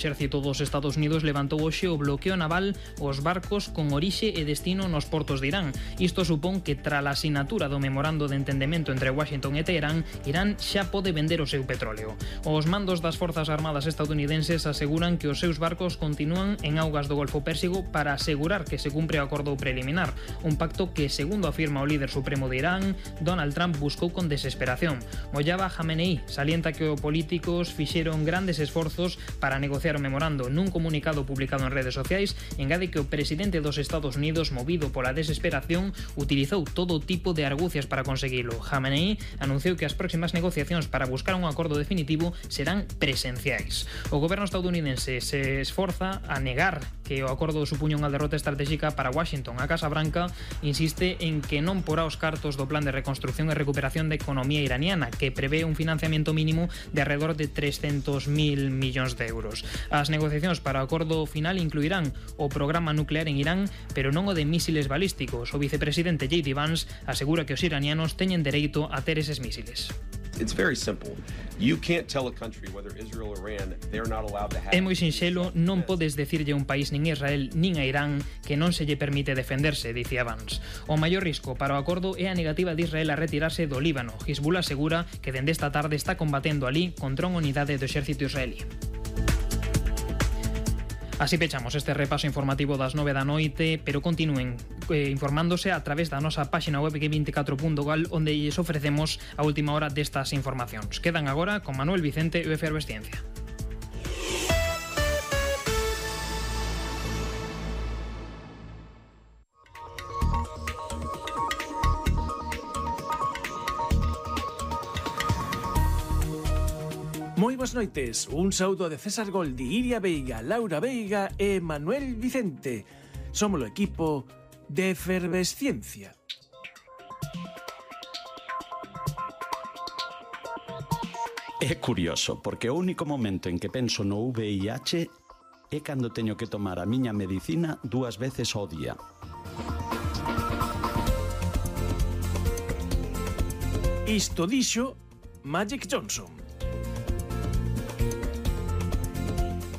O exército dos Estados Unidos levantou hoxe o bloqueo naval aos barcos con orixe e destino nos portos de Irán. Isto supón que, tras a asinatura do memorando de entendemento entre Washington e Teherán, Irán xa pode vender o seu petróleo. Os mandos das Forzas Armadas estadounidenses aseguran que os seus barcos continúan en augas do Golfo Pérsico para asegurar que se cumpre o acordo preliminar, un pacto que, segundo afirma o líder supremo de Irán, Donald Trump buscou con desesperación. Mojtaba Khamenei salienta que os políticos fixeron grandes esforzos para negociar o memorando. Nun comunicado publicado en redes sociais, engade que o presidente dos Estados Unidos, movido pola desesperación, utilizou todo tipo de argucias para conseguilo. Khamenei anunciou que as próximas negociacións para buscar un acordo definitivo serán presenciais. O goberno estadounidense se esforza a negar que o acordo supuña unha derrota estratégica para Washington. A Casa Branca insiste en que non porá os cartos do plan de reconstrucción e recuperación da economía iraniana, que prevé un financiamento mínimo de alrededor de 300.000 millóns de euros. As negociacións para o acordo final incluirán o programa nuclear en Irán, pero non o de mísiles balísticos. O vicepresidente J.D. Vance asegura que os iranianos teñen dereito a ter eses mísiles. It's very simple. You can't tell a country, whether Israel or Iran, they're not allowed to have... É moi sinxelo, non podes decirlle a un país nin a Israel nin a Irán que non se lle permite defenderse, dicía Vance. O maior risco para o acordo é a negativa de Israel a retirarse do Líbano. Hezbollah asegura que dende esta tarde está combatendo alí contra unha unidade do exército israelí. Así pechamos este repaso informativo das 9 da noite, pero continúen informándose a través da nosa páxina web g24.gal, onde lles ofrecemos a última hora destas informacións. Quedan agora con Manuel Vicente e o Efervesciencia. Moi boas noites, un saúdo de César Goldi, Iria Veiga, Laura Veiga e Manuel Vicente. Somos o equipo de Efervesciencia. É curioso, porque o único momento en que penso no VIH é cando teño que tomar a miña medicina 2 veces ao día. Isto dixo Magic Johnson.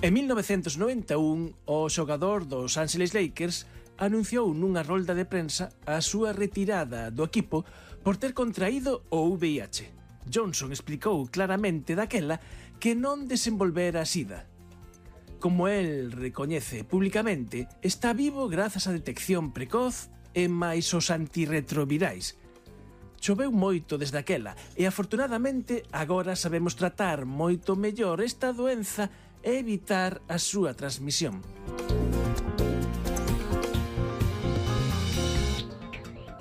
En 1991, o xogador dos Angeles Lakers anunciou nunha rolda de prensa a súa retirada do equipo por ter contraído o VIH. Johnson explicou claramente daquela que non desenvolvera a SIDA. Como el recoñece públicamente, está vivo grazas á detección precoz e máis os antirretrovirais. Choveu moito desde aquela e, afortunadamente, agora sabemos tratar moito mellor esta doenza e evitar a súa transmisión.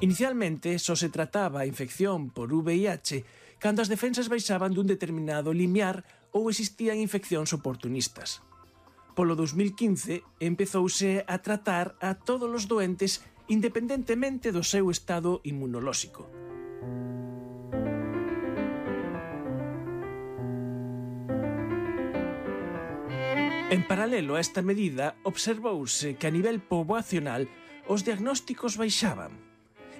Inicialmente, só se trataba a infección por VIH cando as defensas baixaban dun determinado limiar ou existían infeccións oportunistas. Polo 2015, empezouse a tratar a todos os doentes independentemente do seu estado inmunolóxico. En paralelo a esta medida, observouse que a nivel poboacional os diagnósticos baixaban.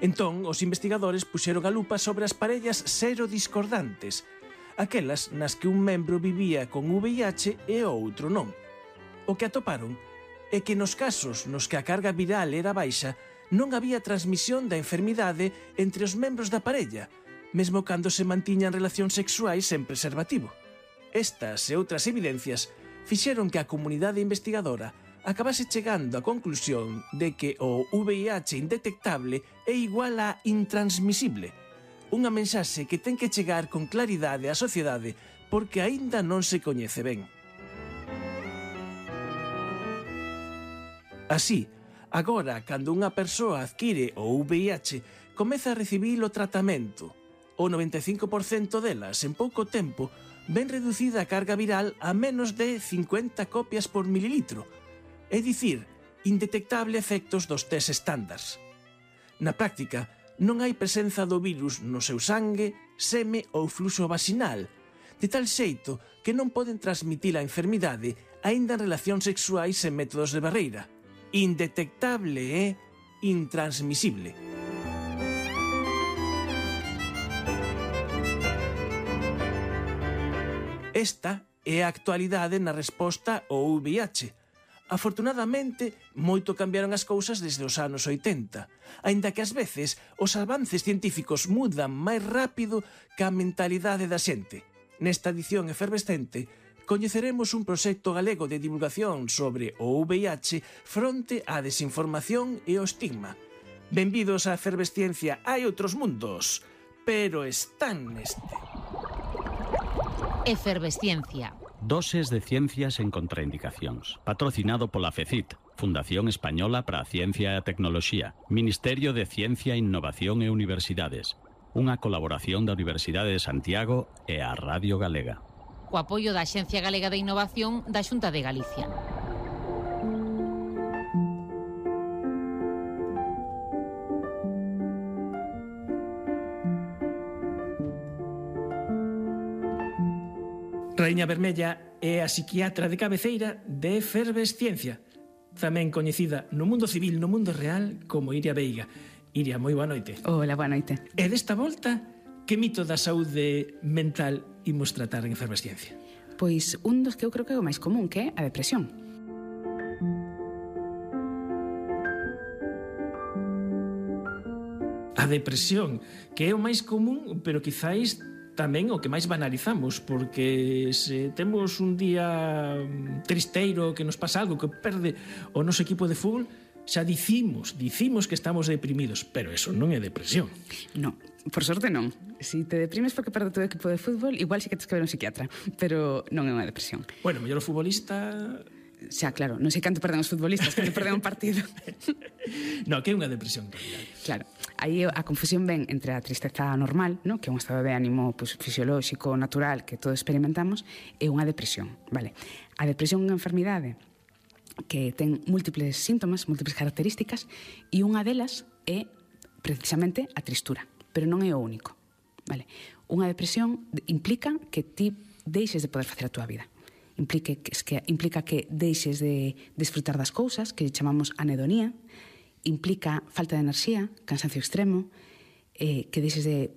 Entón, os investigadores puxeron a lupa sobre as parellas serodiscordantes, aquelas nas que un membro vivía con VIH e o outro non. O que atoparon é que nos casos nos que a carga viral era baixa, non había transmisión da enfermidade entre os membros da parella, mesmo cando se mantiñan relacións sexuais sen preservativo. Estas e outras evidencias fixeron que a comunidade investigadora acabase chegando á conclusión de que o VIH indetectable é igual a intransmisible, unha mensaxe que ten que chegar con claridade á sociedade porque aínda non se coñece ben. Así, agora, cando unha persoa adquire o VIH, comeza a recibir o tratamento. O 95% delas, en pouco tempo, ven reducida a carga viral a menos de 50 copias por mililitro, é dicir, indetectable efectos dos test estándars. Na práctica, non hai presenza do virus no seu sangue, seme ou fluxo vaginal, de tal xeito que non poden transmitir a enfermidade aínda en relacións sexuais sen métodos de barreira. Indetectable e intransmisible. Esta é a actualidade na resposta ao VIH. Afortunadamente, moito cambiaron as cousas desde os anos 80, aínda que ás veces os avances científicos mudan máis rápido que a mentalidade da xente. Nesta edición efervescente, coñeceremos un proxecto galego de divulgación sobre o VIH fronte á desinformación e o estigma. Benvidos á efervesciencia. Hai outros mundos, pero están neste. Efervesciencia. Doses de ciencias en contraindicacións. Patrocinado pola FECIT, Fundación Española para a Ciencia e a Tecnoloxía, Ministerio de Ciencia, Innovación e Universidades. Unha colaboración da Universidade de Santiago e a Radio Galega. Co apoio da Axencia Galega de Innovación da Xunta de Galicia. Raíña Vermella é a psiquiatra de cabeceira de Efervesciencia, tamén coñecida no mundo civil, no mundo real, como Iria Veiga. Iria, moi boa noite. Hola, boa noite. E desta volta, que mito da saúde mental imos tratar en Efervesciencia? Pois un dos que eu creo que é o máis común, que é a depresión. A depresión, que é o máis común, pero quizáis tamén o que máis banalizamos, porque se temos un día tristeiro, que nos pasa algo, que perde o noso equipo de fútbol, xa dicimos que estamos deprimidos, pero eso non é depresión. Non, por sorte non. Si te deprimes porque perde o teu equipo de fútbol, igual si que tens que ver un psiquiatra, pero non é unha depresión. Bueno, mellor o futbolista... Xa, claro, non sei canto perden os futbolistas cando perden un partido. No, que é unha depresión, en realidad. Claro, aí a confusión ven entre a tristeza normal, ¿no? Que é un estado de ánimo pues, fisiolóxico, natural, que todos experimentamos, e unha depresión, vale? A depresión é unha enfermidade que ten múltiples síntomas, múltiples características, e unha delas é precisamente a tristura, pero non é o único, vale? Unha depresión implica que ti deixes de poder facer a túa vida. Implica que deixes de disfrutar das cousas, que chamamos anedonía, implica falta de enerxía, cansancio extremo, que deixes de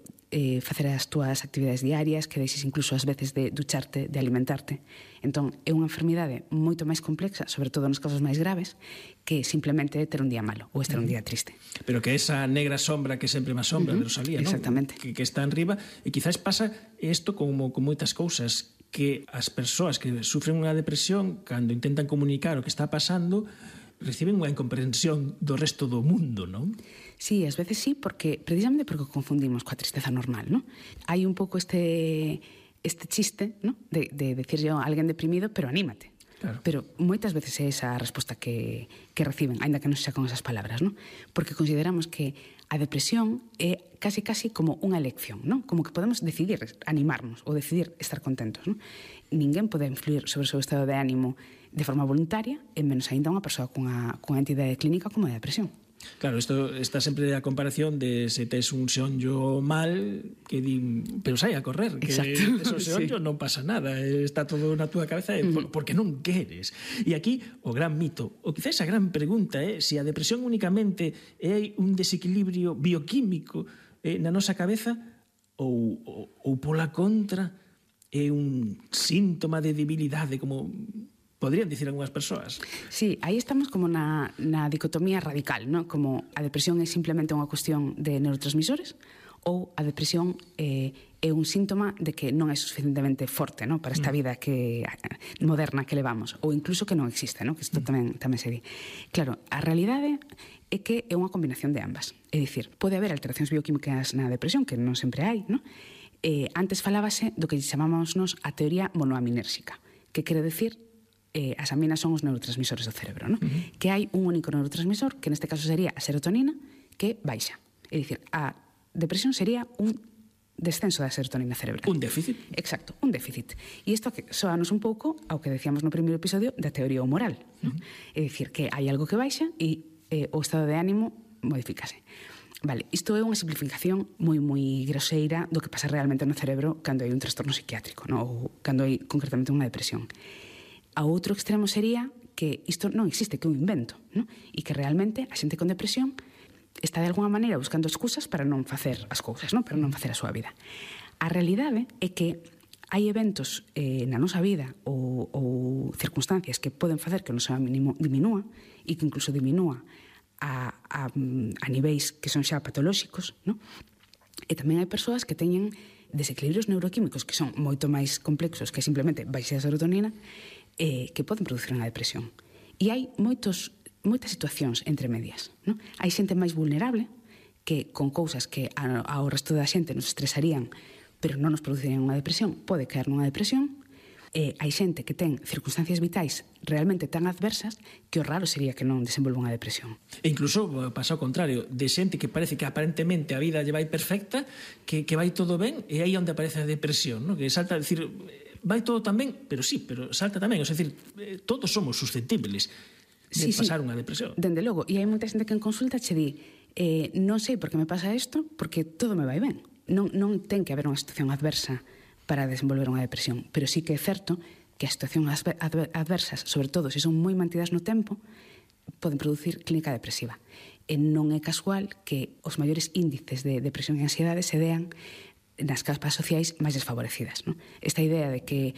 facer as túas actividades diarias, que deixes incluso ás veces de ducharte, de alimentarte. Entón, é unha enfermidade moito máis complexa, sobre todo nos casos máis graves, que simplemente ter un día malo ou estar un día triste. Pero que esa negra sombra que sempre máis sombra de Rosalía, exactamente, ¿no? Que está enriba, e quizás pasa isto como con moitas cousas, que as persoas que sufren unha depresión, cando intentan comunicar o que está pasando, reciben unha incomprensión do resto do mundo, non? Sí, ás veces sí, precisamente porque o confundimos coa tristeza normal, non? Hai un pouco este chiste, non? De decirle a alguén deprimido, pero anímate. Claro. Pero moitas veces é esa a resposta que reciben, aínda que non xa con esas palabras, non? Porque consideramos que a depresión é casi como unha elección, non? Como que podemos decidir animarnos ou decidir estar contentos, non? Ninguén pode influir sobre o seu estado de ánimo de forma voluntaria, e menos aínda unha persoa cunha entidade clínica como a depresión. Claro, isto está sempre a comparación de se tes un xonllo mal, que din, pero sai a correr, que tes un xonllo, sí, non pasa nada, está todo na túa cabeza, porque non queres. E aquí o gran mito, ou quizás a gran pregunta é se a depresión únicamente é un desequilibrio bioquímico na nosa cabeza ou pola contra é un síntoma de debilidade, como podrían dicir algunhas persoas. Sí, aí estamos como na dicotomía radical, ¿no? Como a depresión é simplemente unha cuestión de neurotransmisores ou a depresión é un síntoma de que non é suficientemente forte, ¿no? Para esta vida moderna que levamos, ou incluso que non existe, ¿no? Que isto tamén se di. Claro, a realidade é que é unha combinación de ambas. É dicir, pode haber alteracións bioquímicas na depresión, que non sempre hai, ¿no? Antes falábase do que chamamos nos a teoría monoaminérxica, que quere decir as aminas son os neurotransmisores do cerebro, ¿no? Que hai un único neurotransmisor, que neste caso sería a serotonina, que baixa. É dicir, a depresión sería un descenso da serotonina cerebral. Un déficit. Exacto, un déficit. E isto soanos un pouco ao que decíamos no primeiro episodio da teoría humoral, ¿no? É dicir, que hai algo que baixa e o estado de ánimo modifícase. Vale, isto é unha simplificación moi groseira do que pasa realmente no cerebro cando hai un trastorno psiquiátrico, ¿no? Ou cando hai concretamente unha depresión. A outro extremo sería que isto non existe, que é un invento, ¿no? E que realmente a xente con depresión está de alguna maneira buscando excusas para non facer as cousas, ¿no? Para non facer a súa vida. A realidade é que hai eventos na nosa vida ou circunstancias que poden facer que o noso ánimo diminúa e que incluso diminúa a niveis que son xa patolóxicos, non? E tamén hai persoas que teñen desequilibrios neuroquímicos que son moito máis complexos que simplemente baixa a serotonina que poden producir unha depresión. E hai moitas situacións entre medias, non? Hai xente máis vulnerable que con cousas que ao resto da xente nos estresarían pero non nos producirían unha depresión, pode caer nunha depresión. Hai xente que ten circunstancias vitais realmente tan adversas que o raro sería que non desenvolva unha depresión. E incluso pasa ao contrario, de xente que parece que aparentemente a vida lle vai perfecta, que vai todo ben, e aí onde aparece a depresión, ¿no? Que salta a decir, vai todo tan ben, pero sí, pero salta tamén, é dicir, todos somos susceptibles de pasar unha depresión. Dende logo, e hai moita xente que en consulta che di non sei por que me pasa isto, porque todo me vai ben. Non ten que haber unha situación adversa para desenvolver unha depresión, pero sí que é certo que as situacións adversas, sobre todo se son moi mantidas no tempo, poden producir clínica depresiva. E non é casual que os maiores índices de depresión e ansiedade se dean nas capas sociais máis desfavorecidas, non? Esta idea de que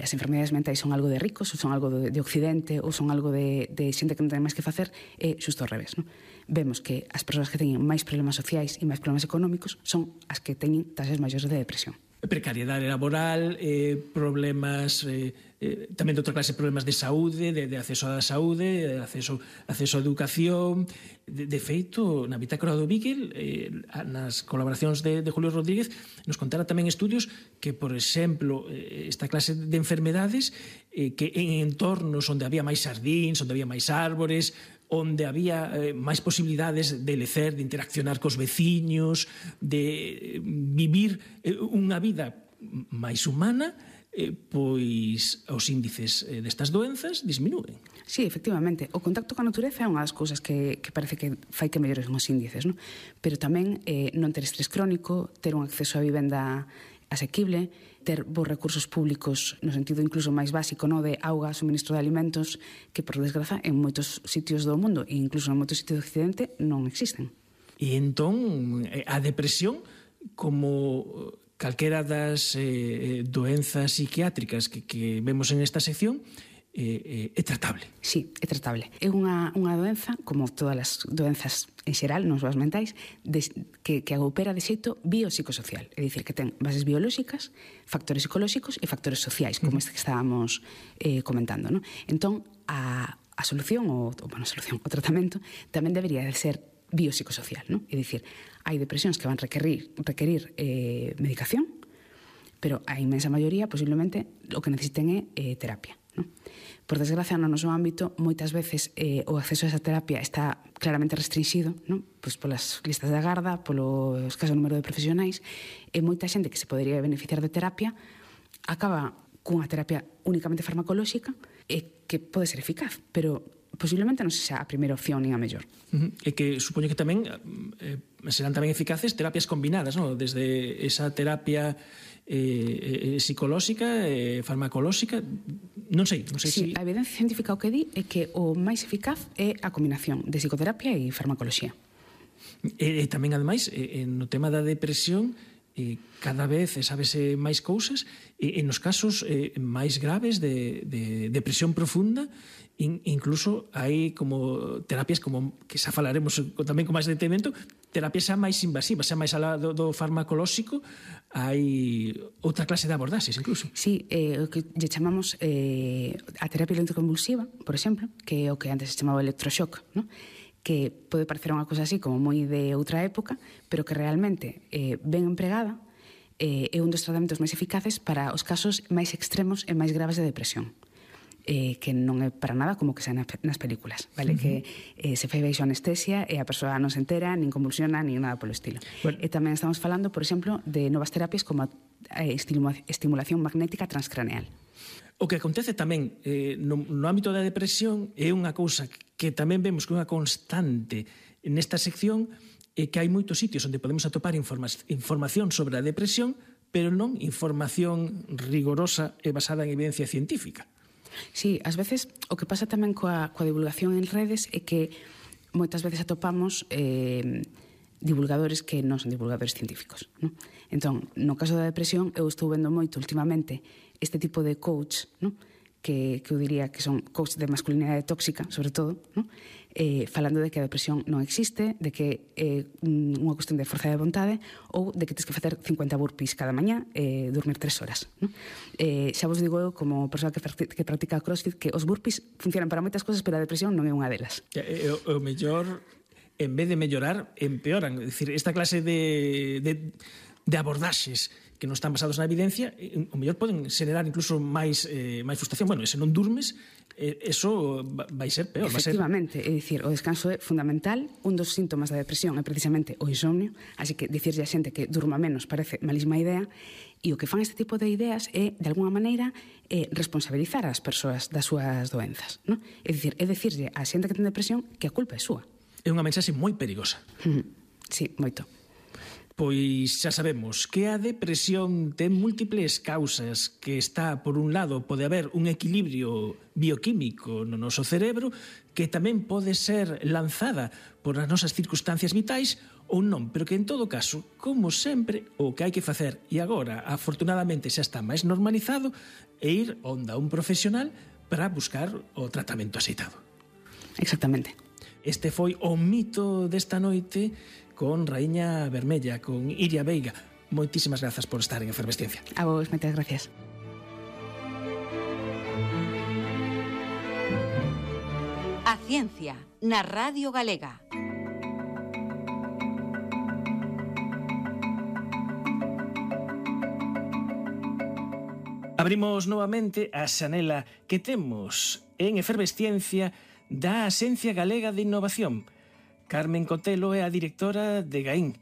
as enfermedades mentais son algo de ricos, ou son algo de occidente, ou son algo de xente que non ten máis que facer, é xusto ao revés, non? Vemos que as persoas que teñen máis problemas sociais e máis problemas económicos son as que teñen tasas maiores de depresión. Precariedade laboral, problemas tamén de outra clase, problemas de saúde, de acceso á saúde, acceso á educación. De feito, na bitácora do Beagle, nas colaboracións de Julio Rodríguez, nos contara tamén estudios que, por exemplo, esta clase de enfermedades que en entornos onde había máis xardíns, onde había máis árbores, onde había máis posibilidades de lecer, de interaccionar cos veciños, de vivir unha vida máis humana, pois os índices destas doenzas disminúen. Sí, efectivamente. O contacto coa natureza é unha das cousas que parece que fai que mellores os índices, non? Pero tamén non ter estrés crónico, ter un acceso a vivenda asequible, ter bons recursos públicos no sentido incluso máis básico, no, de auga, suministro de alimentos, que por desgraza en moitos sitios do mundo e incluso en moitos sitios do occidente non existen. E entón a depresión, como calquera das doenzas psiquiátricas que vemos en esta sección, é tratable. Sí, é tratable. É unha doenza, como todas as doenzas en xeral, non só as mentais, que opera de xeito biopsicosocial. É dicir, que ten bases biolóxicas, factores psicolóxicos e factores sociais, como este que estábamos comentando, non? Entón, a solución, o tratamento, tamén debería de ser biopsicosocial, non? É dicir, hai depresións que van requerir medicación, pero a inmensa maioría, posiblemente, o que necesiten é terapia, non? Por desgracia, no noso ámbito, moitas veces o acceso a esa terapia está claramente restringido, non? Pois polas listas de agarda, polo escaso número de profesionais, e moita xente que se podería beneficiar de terapia acaba cunha terapia únicamente farmacolóxica e que pode ser eficaz, pero posiblemente non sexa a primeira opción nin a mellor. E que supoño que tamén serán tamén eficaces terapias combinadas, non? Desde esa terapia psicolóxica, farmacolóxica, non sei si... A evidencia científica o que di é que o máis eficaz é a combinación de psicoterapia e farmacoloxía. E tamén, ademais, no tema da depresión, cada vez sabese máis cousas, e nos casos máis graves de depresión profunda, incluso hai como terapias como que xa falaremos tamén con máis detenimento, terapias xa máis invasivas, xa máis alá do farmacolóxico, hai outra clase de abordaxes incluso. Sí, o que lle chamamos a terapia electroconvulsiva, por exemplo, que é o que antes se chamaba electroshock, non? Que pode parecer unha cosa así como moi de outra época, pero que realmente ben empregada é un dos tratamentos máis eficaces para os casos máis extremos e máis graves de depresión, que non é para nada como que sea nas películas, vale? Que se fai baixo anestesia e a persoa non se entera, nin convulsiona, nin nada polo estilo. Bueno. E tamén estamos falando, por exemplo, de novas terapias como a estimulación magnética transcraneal. O que acontece tamén no ámbito da depresión é unha cousa que tamén vemos que é unha constante nesta sección, é que hai moitos sitios onde podemos atopar información sobre a depresión, pero non información rigorosa e basada en evidencia científica. Sí, ás veces o que pasa tamén coa divulgación en redes é que moitas veces atopamos divulgadores que non son divulgadores científicos, non? Entón, no caso da depresión, eu estou vendo moito últimamente este tipo de coach, non? Que eu diría que son coach de masculinidade tóxica, sobre todo, non? Falando de que a depresión non existe, de que é unha cuestión de forza de vontade ou de que tens que facer 50 burpees cada mañá e dormir 3 horas. Non? Xa vos digo eu, como persoa que practica crossfit, que os burpees funcionan para moitas cosas, pero a depresión non é unha delas. O mellor, en vez de mellorar, empeoran. É dicir, esta clase de abordaxes que non están basados na evidencia, o mellor poden generar incluso máis frustración. Bueno, e se non durmes, eso vai ser peor. Efectivamente, é dicir, o descanso é fundamental. Un dos síntomas da depresión é precisamente o insomnio, así que dicirlle a xente que durma menos parece malísima idea, e o que fan este tipo de ideas é, de alguna maneira, responsabilizar as persoas das súas doenzas, non? É dicir, é dicirlle a xente que ten depresión que a culpa é súa. É unha mensaxe moi perigosa. Sí, moito. Pois xa sabemos que a depresión ten múltiples causas, que está, por un lado, pode haber un equilibrio bioquímico no noso cerebro, que tamén pode ser lanzada por as nosas circunstancias vitais ou non, pero que en todo caso, como sempre, o que hai que facer, e agora, afortunadamente, xa está máis normalizado, é ir onde un profesional para buscar o tratamento axeitado. Exactamente. Este foi o mito desta noite con Raíña Vermella, con Iria Veiga. Moitísimas grazas por estar en Efervesciencia. A vos, moitas gracias. A ciencia na Radio Galega. Abrimos novamente a xanela que temos en Efervesciencia da Axencia Galega de Innovación. Carmen Cotelo é a directora de GAIN.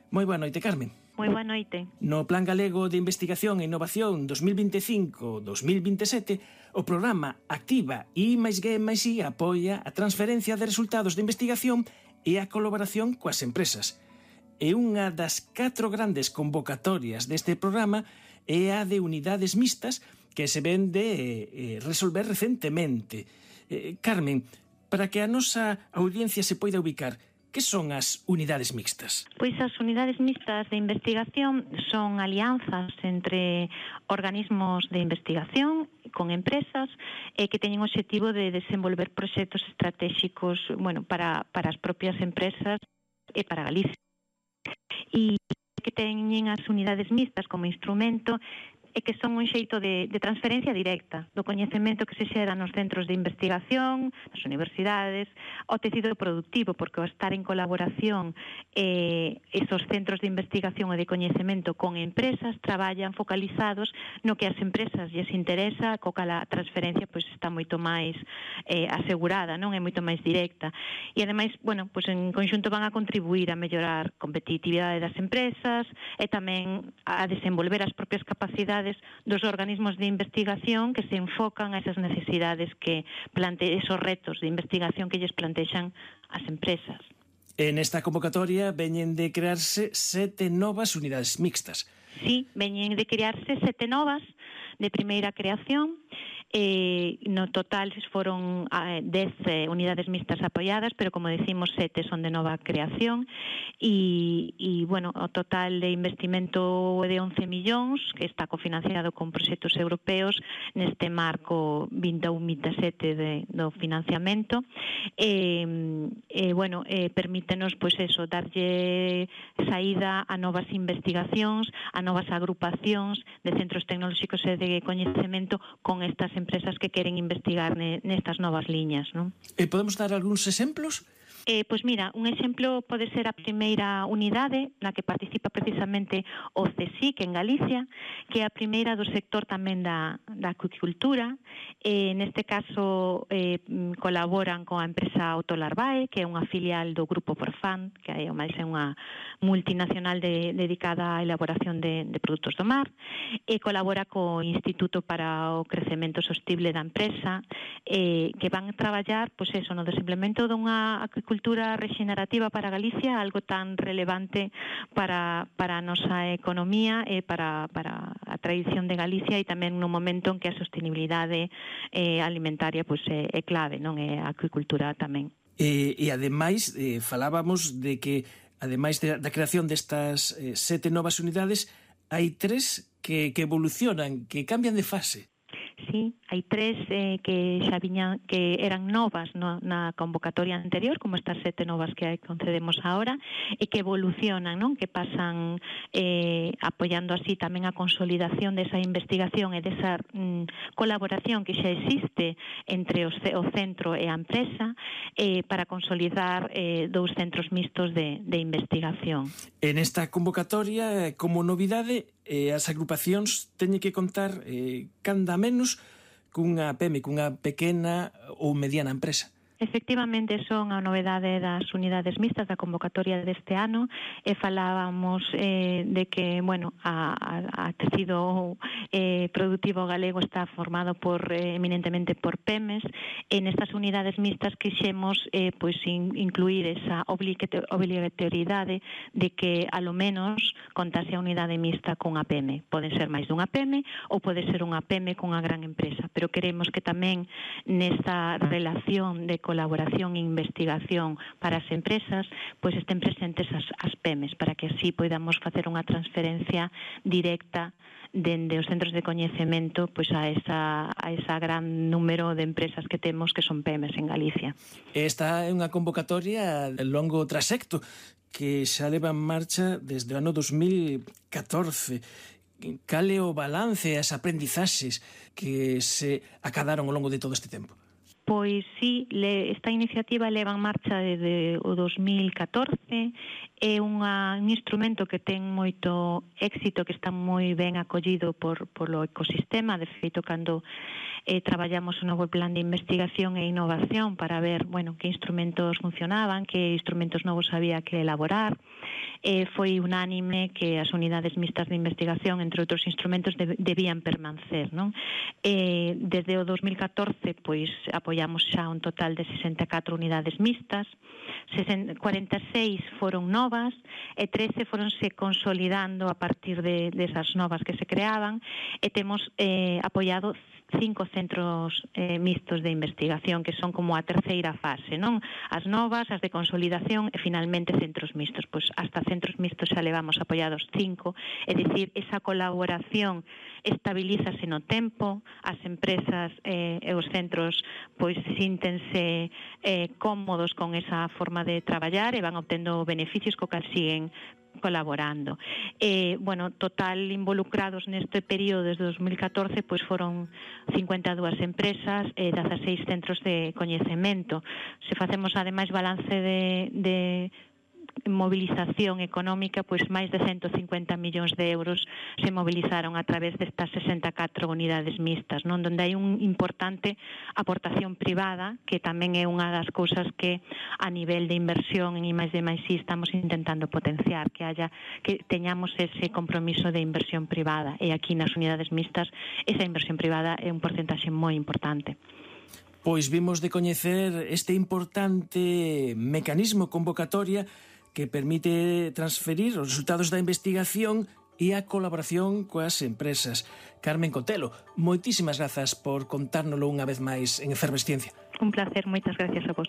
Moi boa noite, Carmen. Moi boa noite. No Plan Galego de Investigación e Innovación 2025-2027, o programa Activa I+G+I apoia a transferencia de resultados de investigación e a colaboración coas empresas. E unha das 4 grandes convocatorias deste programa é a de unidades mixtas que se ven de resolver recentemente. Carmen, para que a nosa audiencia se poida ubicar, que son as unidades mixtas? Pois as unidades mixtas de investigación son alianzas entre organismos de investigación con empresas que teñen o obxectivo de desenvolver proxectos estratégicos, para as propias empresas e para Galicia. E que teñen as unidades mixtas como instrumento e que son un xeito de transferencia directa do coñecemento que se xera nos centros de investigación, nas universidades, ao tecido productivo, porque ao estar en colaboración esos centros de investigación e de coñecemento con empresas traballan focalizados no que as empresas lles interesa, co cal a transferencia está moito máis asegurada, non é moito máis directa. E ademais, en conxunto van a contribuir a mellorar a competitividade das empresas e tamén a desenvolver as propias capacidades dos organismos de investigación que se enfocan a esas necesidades esos retos de investigación que lles plantexan as empresas. En esta convocatoria veñen de crearse 7 novas unidades mixtas. Sí, veñen de crearse 7 novas de primeira creación. No total foron 10 unidades mixtas apoiadas, pero como decimos 7 son de nova creación e o total de investimento é de 11 millóns que está cofinanciado con proxectos europeos neste marco 21-27 do financiamento permítenos darlle saída a novas investigacións, a novas agrupacións de centros tecnolóxicos e de coñecemento con estas empresas que queren investigar nestas novas liñas, non? Podemos dar algúns exemplos? Pois mira, un exemplo pode ser a primeira unidade na que participa precisamente o CSIC en Galicia, que é a primeira do sector tamén da acuicultura. Neste caso colaboran coa empresa Autolarvae, que é unha filial do Grupo Forfan, que é unha multinacional dedicada á elaboración de produtos do mar, e colabora co Instituto para o Crecemento Sostible da empresa, que van traballar no desenvolvemento dunha acuicultura rexenerativa para Galicia, algo tan relevante para a nosa economía e para a tradición de Galicia, e tamén no momento en que a sostenibilidade alimentaria é clave, non? É a acuicultura tamén. E ademais, falábamos de que ademais da creación destas 7 novas unidades, hai 3 que evolucionan, que cambian de fase. Sí, hai 3 que xa viñan, que eran novas na convocatoria anterior, como estas 7 novas que concedemos ahora, e que evolucionan, non? Que pasan apoiando así tamén a consolidación desa investigación e desa colaboración que xa existe entre o centro e a empresa para consolidar 2 centros mixtos de investigación. En esta convocatoria, como novidade, as agrupacións teñen que contar canda menos cunha PEME, cunha pequena ou mediana empresa. Efectivamente, son a novedade das unidades mixtas da convocatoria deste ano e falábamos de que, bueno, a tecido productivo galego está formado eminentemente por PEMES e nestas unidades mixtas quixemos pois incluir esa obrigatoriedade de que a lo menos contase a unidade mixta cunha PEME. Poden ser máis dunha PEME ou pode ser unha PEME cunha gran empresa, pero queremos que tamén nesta relación de colaboración e investigación para as empresas, pois estén presentes as PEMES, para que así podamos facer unha transferencia directa dende os centros de coñecemento pois a esa gran número de empresas que temos que son PEMES en Galicia. Esta é unha convocatoria de longo trasecto que xa leva en marcha desde o ano 2014. Cal é o balance e as aprendizaxes que se acadaron ao longo de todo este tempo? Pois sí, esta iniciativa leva en marcha desde o 2014, é un instrumento que ten moito éxito, que está moi ben acollido polo ecosistema. De feito, cando traballamos un novo plan de investigación e innovación para ver, bueno, que instrumentos funcionaban, que instrumentos novos había que elaborar, foi unánime que as unidades mixtas de investigación, entre outros instrumentos, debían permanecer, non? Desde o 2014, pois, apoiamos xa un total de 64 unidades mixtas, 46 foron novas e 13 foronse consolidando a partir desas novas que se creaban e temos apoiado 5 centros mixtos de investigación que son como a terceira fase, non? As novas, as de consolidación e finalmente centros mixtos. Pois hasta centros mixtos xa levamos apoiados 5, é dicir, esa colaboración estabilízase no tempo, as empresas e os centros pois síntense cómodos con esa forma de traballar e van obtendo beneficios co que siguen colaborando. Bueno, total involucrados neste período desde 2014 pois foron 52 empresas e 16 centros de coñecemento. Se facemos ademais balance de movilización económica, pois máis de 150 millóns de euros se movilizaron a través destas 64 unidades mixtas, non? Donde hai unha importante aportación privada, que tamén é unha das cousas que a nivel de inversión en I+D+I estamos intentando potenciar, que teñamos ese compromiso de inversión privada, e aquí nas unidades mixtas esa inversión privada é un porcentaxe moi importante. Pois vimos de coñecer este importante mecanismo convocatoria que permite transferir os resultados da investigación e a colaboración coas empresas. Carmen Cotelo, moitísimas grazas por contárnolo unha vez máis en Efervesciencia. Un placer, moitas gracias a vos.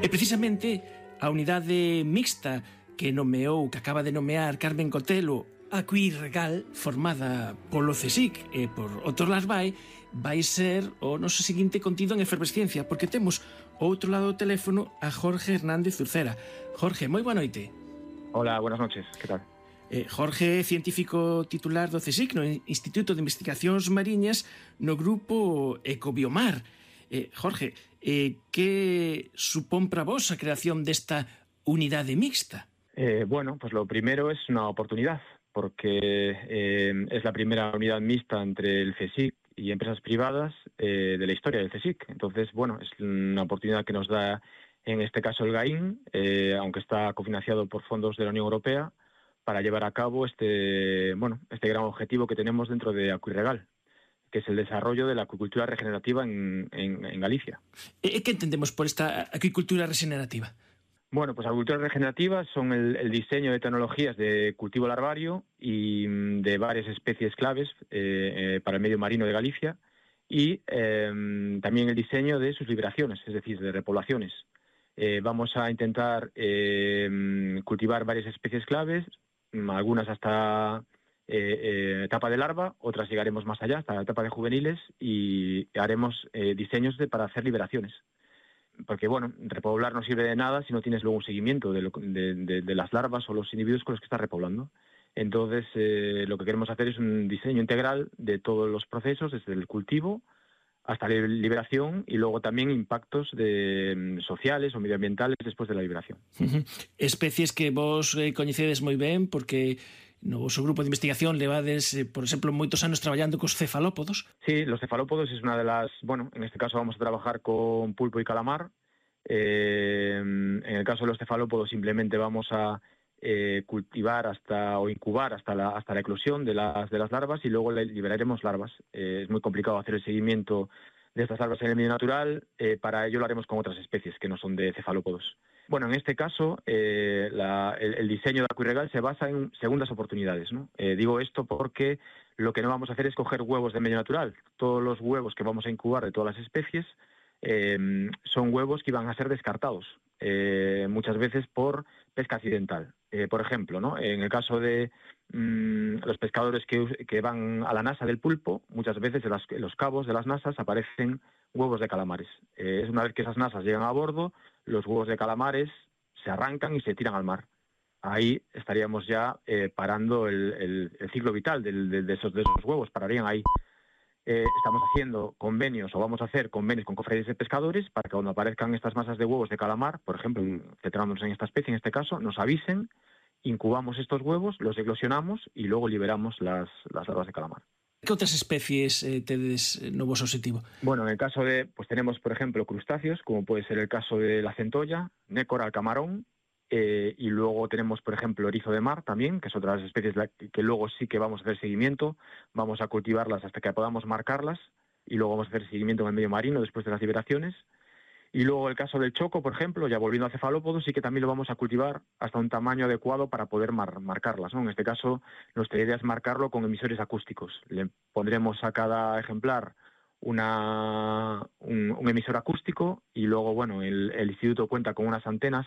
E precisamente a unidade mixta que acaba de nomear Carmen Cotelo, a Cuirregal, formada polo CSIC e por outros Lasbai, vai ser o noso seguinte contido en Efervesciencia, porque temos ao outro lado do teléfono a Jorge Hernández Ucera. Jorge, moi boa noite. Hola, buenas noches, que tal? Jorge é científico titular do CSIC, no Instituto de Investigacións Mariñas, no grupo Ecobiomar. Jorge, que supón para vos a creación desta unidade mixta? Bueno, pues lo primero es una oportunidad, porque es la primera unidad mixta entre el CSIC y empresas privadas de la historia del CSIC. Entonces, bueno, es una oportunidad que nos da, en este caso, el GAIN, aunque está cofinanciado por fondos de la Unión Europea, para llevar a cabo este gran objetivo que tenemos dentro de Acuirregal, que es el desarrollo de la acuicultura regenerativa en Galicia. ¿Qué entendemos por esta acuicultura regenerativa? Bueno, pues agriculturas regenerativas son el diseño de tecnologías de cultivo larvario y de varias especies claves para el medio marino de Galicia y también el diseño de sus liberaciones, es decir, de repoblaciones. Vamos a intentar cultivar varias especies claves, algunas hasta etapa de larva, otras llegaremos más allá, hasta la etapa de juveniles, y haremos diseños para hacer liberaciones. Porque, bueno, repoblar no sirve de nada si no tienes luego un seguimiento de las larvas o los individuos con los que estás repoblando. Entonces, lo que queremos hacer es un diseño integral de todos los procesos, desde el cultivo hasta la liberación, y luego también impactos sociales o medioambientales después de la liberación. Especies que vos coñecedes moi ben, porque no vosso grupo de investigación levades, por exemplo, moitos anos traballando cos cefalópodos. Sí, los cefalópodos es una de las... Bueno, en este caso vamos a trabajar con pulpo y calamar. En el caso de los cefalópodos simplemente vamos a cultivar o incubar hasta la eclosión de las larvas, y luego liberaremos larvas. Es muy complicado hacer el seguimiento de estas larvas en el medio natural. Para ello lo haremos con otras especies que no son de cefalópodos. Bueno, en este caso, el diseño de Acuirregal se basa en segundas oportunidades, ¿no? Digo esto porque lo que no vamos a hacer es coger huevos de medio natural. Todos los huevos que vamos a incubar de todas las especies son huevos que iban a ser descartados, muchas veces por pesca accidental. Por ejemplo, ¿no? En el caso de los pescadores que van a la nasa del pulpo, muchas veces en los cabos de las nasas aparecen huevos de calamares. Es una vez que esas nasas llegan a bordo, los huevos de calamares se arrancan y se tiran al mar. Ahí estaríamos ya parando el ciclo vital de esos huevos, pararían ahí. Estamos haciendo convenios, o vamos a hacer convenios con cofradías de pescadores para que cuando aparezcan estas masas de huevos de calamar, por ejemplo, centrándonos en esta especie, en este caso, nos avisen, incubamos estos huevos, los eclosionamos y luego liberamos las larvas de calamar. Que outras especies tedes no voso objetivo? Bueno, en el caso pues tenemos, por ejemplo, crustáceos, como puede ser el caso de la centolla, nécora, el camarón, y luego tenemos, por ejemplo, erizo de mar también, que es otra de las especies que luego sí que vamos a hacer seguimiento, vamos a cultivarlas hasta que podamos marcarlas, y luego vamos a hacer seguimiento en el medio marino después de las liberaciones. Y luego el caso del choco, por ejemplo, ya volviendo a cefalópodos, sí que también lo vamos a cultivar hasta un tamaño adecuado para poder marcarlas, ¿no? En este caso, nuestra idea es marcarlo con emisores acústicos. Le pondremos a cada ejemplar un emisor acústico, y luego, bueno, el instituto cuenta con unas antenas,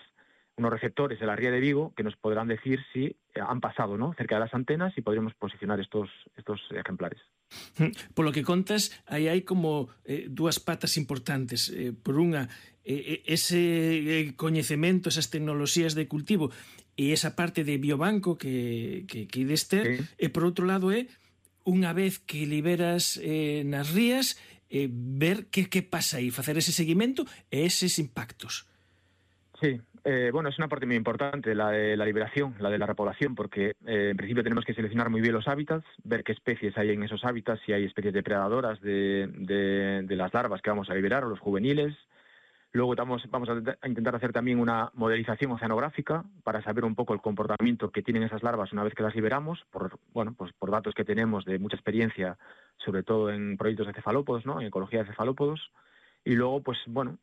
unos receptores de la Ría de Vigo que nos podrán decir si han pasado, ¿no?, cerca de las antenas, y podremos posicionar estos ejemplares. Por lo que contas, aí hai como dúas patas importantes. Por unha, ese coñecemento, esas tecnoloxías de cultivo e esa parte de biobanco que ides ter, sí. E por outro lado unha vez que liberas nas rías, ver que pasa aí, facer ese seguimento e eses impactos. Sí. Bueno, es una parte muy importante la de la liberación, la de la repoblación, porque en principio tenemos que seleccionar muy bien los hábitats, ver qué especies hay en esos hábitats, si hay especies depredadoras de las larvas que vamos a liberar o los juveniles. Luego vamos a intentar hacer también una modelización oceanográfica para saber un poco el comportamiento que tienen esas larvas una vez que las liberamos, por datos que tenemos de mucha experiencia, sobre todo en proyectos de cefalópodos, ¿no?, en ecología de cefalópodos. Y luego, pues bueno,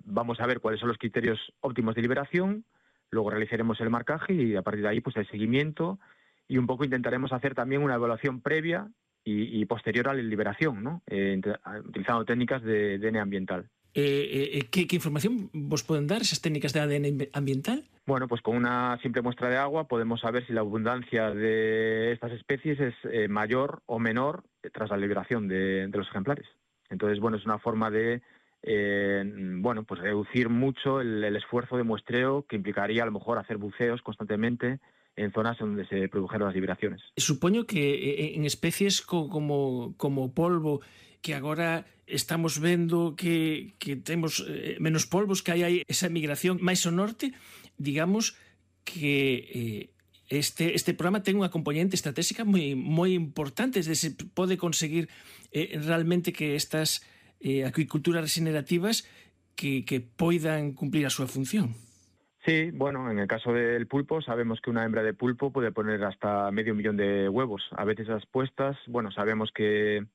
vamos a ver cuáles son los criterios óptimos de liberación, luego realizaremos el marcaje y a partir de ahí pues el seguimiento, y un poco intentaremos hacer también una evaluación previa y posterior a la liberación, ¿no?, utilizando técnicas de ADN ambiental. ¿Qué información vos pueden dar esas técnicas de ADN ambiental? Bueno, pues con una simple muestra de agua podemos saber si la abundancia de estas especies es mayor o menor tras la liberación de los ejemplares. Entonces, bueno, es una forma de pues reducir mucho el esfuerzo de muestreo que implicaría a lo mejor hacer buceos constantemente en zonas donde se produjeron las liberaciones. Supoño que en especies como polvo, que agora estamos vendo que temos menos polvos, que hai esa migración máis ao norte, digamos que este programa ten unha componente estratégica moi importante, es decir, se pode conseguir realmente que estas acuiculturas regenerativas que poidan cumplir a súa función. Sí, bueno, en el caso del pulpo sabemos que una hembra de pulpo puede poner hasta 500.000 de huevos. A veces las puestas, bueno, sabemos que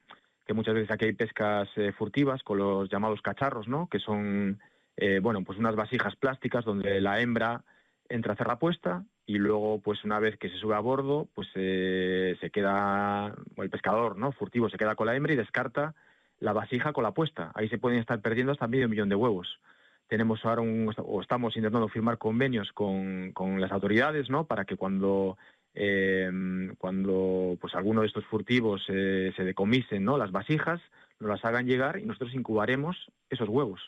muchas veces aquí hay pescas furtivas con los llamados cacharros, ¿no?, que son pues unas vasijas plásticas donde la hembra entra a hacer la puesta y luego, pues una vez que se sube a bordo, pues se queda, el pescador, ¿no?, furtivo, se queda con la hembra y descarta la vasija con la puesta. Ahí se pueden estar perdiendo hasta 500.000 de huevos. Tenemos ahora estamos intentando firmar convenios con las autoridades, ¿no?, para que cuando pues alguno de estos furtivos se decomisen, ¿no?, las vasijas, nos las hagan llegar y nosotros incubaremos esos huevos.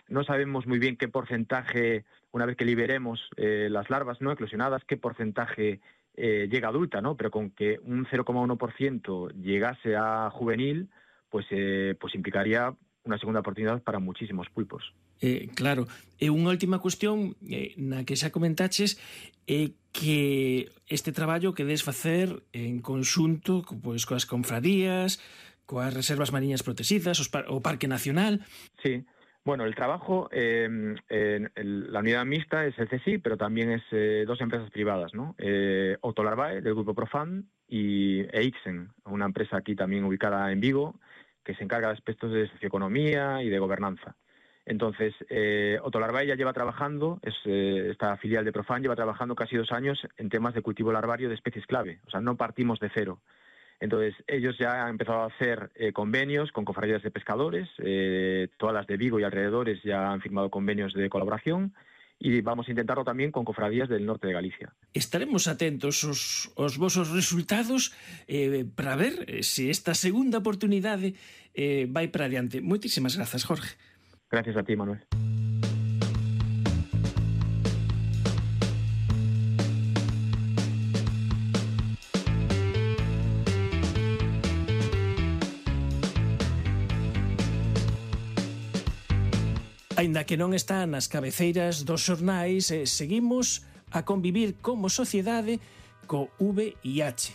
No sabemos muy bien qué porcentaje, una vez que liberemos las larvas no eclosionadas, qué porcentaje llega adulta, ¿no? Pero con que un 0,1% llegase a juvenil, pues implicaría unha segunda oportunidade para muchísimos pulpos. Claro. E unha última cuestión na que xa comentaches é que este traballo que des facer en conxunto pois coas confrarías, coas reservas mariñas protegidas, o Parque Nacional. Sí. Bueno, el trabajo, la unidad mixta es el CSIC, pero también es dos empresas privadas, ¿no? Autolarvae, del grupo Profan, y Eixen, una empresa aquí también ubicada en Vigo, que se encarga de aspectos de socioeconomía y de gobernanza. Entonces, Autolarvae ya lleva trabajando, esta filial de Profan lleva trabajando casi 2 años en temas de cultivo larvario de especies clave, o sea, no partimos de cero. Entonces, ellos ya han empezado a hacer convenios con cofradías de pescadores, todas las de Vigo y alrededores ya han firmado convenios de colaboración y vamos a intentarlo también con cofradías del norte de Galicia. Estaremos atentos aos vosos resultados para ver se esta segunda oportunidade vai para adiante. Moitísimas grazas, Jorge. Gracias a ti, Manuel. Aínda que non está nas cabeceiras dos xornais, seguimos a convivir como sociedade co VIH.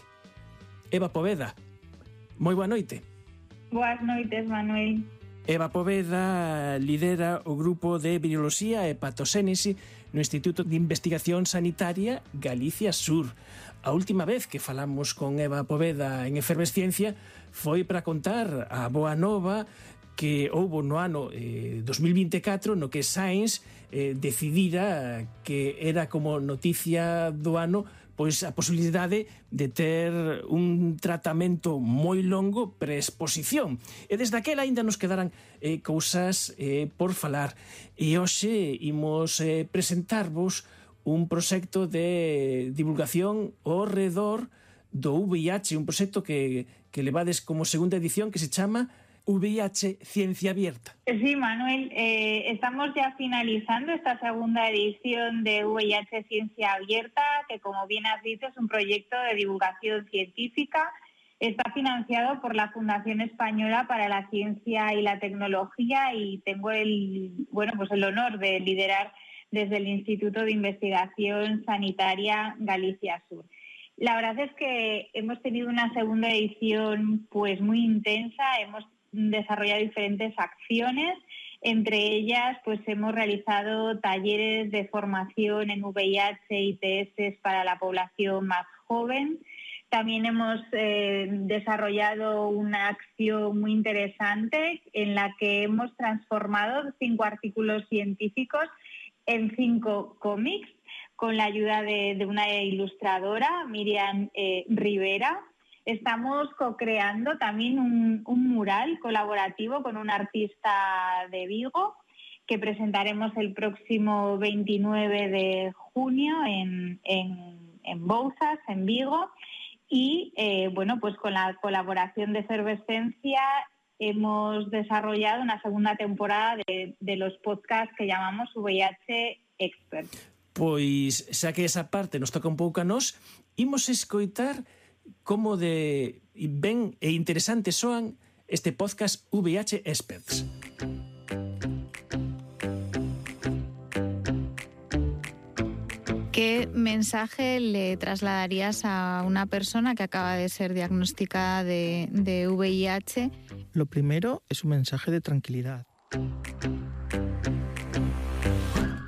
Eva Poveda, moi boa noite. Boas noites, Manuel. Eva Poveda lidera o grupo de Viroloxía e Patoxénese no Instituto de Investigación Sanitaria Galicia Sur. A última vez que falamos con Eva Poveda en Efervesciencia foi para contar a boa nova que houbo no ano 2024 no que Science decidira que era como noticia do ano pois a posibilidade de ter un tratamento moi longo pre-exposición. E desde aquela ainda nos quedaran cousas por falar. E hoxe imos presentarvos un proxecto de divulgación ao redor do VIH, un proxecto que levades como segunda edición que se chama VIH Ciencia Abierta. Sí, Manuel, estamos ya finalizando esta segunda edición de VIH Ciencia Abierta, que como bien has dicho es un proyecto de divulgación científica. Está financiado por la Fundación Española para la Ciencia y la Tecnología y tengo el honor de liderar desde el Instituto de Investigación Sanitaria Galicia Sur. La verdad es que hemos tenido una segunda edición pues muy intensa, hemos desarrollado diferentes acciones, entre ellas pues hemos realizado talleres de formación en VIH y ITS para la población más joven. También hemos desarrollado una acción muy interesante en la que hemos transformado 5 artículos científicos en 5 cómics con la ayuda de una ilustradora, Miriam Rivera. Estamos co-creando también un mural colaborativo con un artista de Vigo que presentaremos el próximo 29 de junio en Bouzas, en Vigo. Y pues con la colaboración de Efervesciencia hemos desarrollado una segunda temporada de los podcasts que llamamos VIH Expert. Pois, xa que esa parte nos toca un pouco a nós, imos escoitar como de ben e interesante soan este podcast VIH Experts. ¿Qué mensaje le trasladarías a una persona que acaba de ser diagnosticada de VIH? Lo primero es un mensaje de tranquilidad.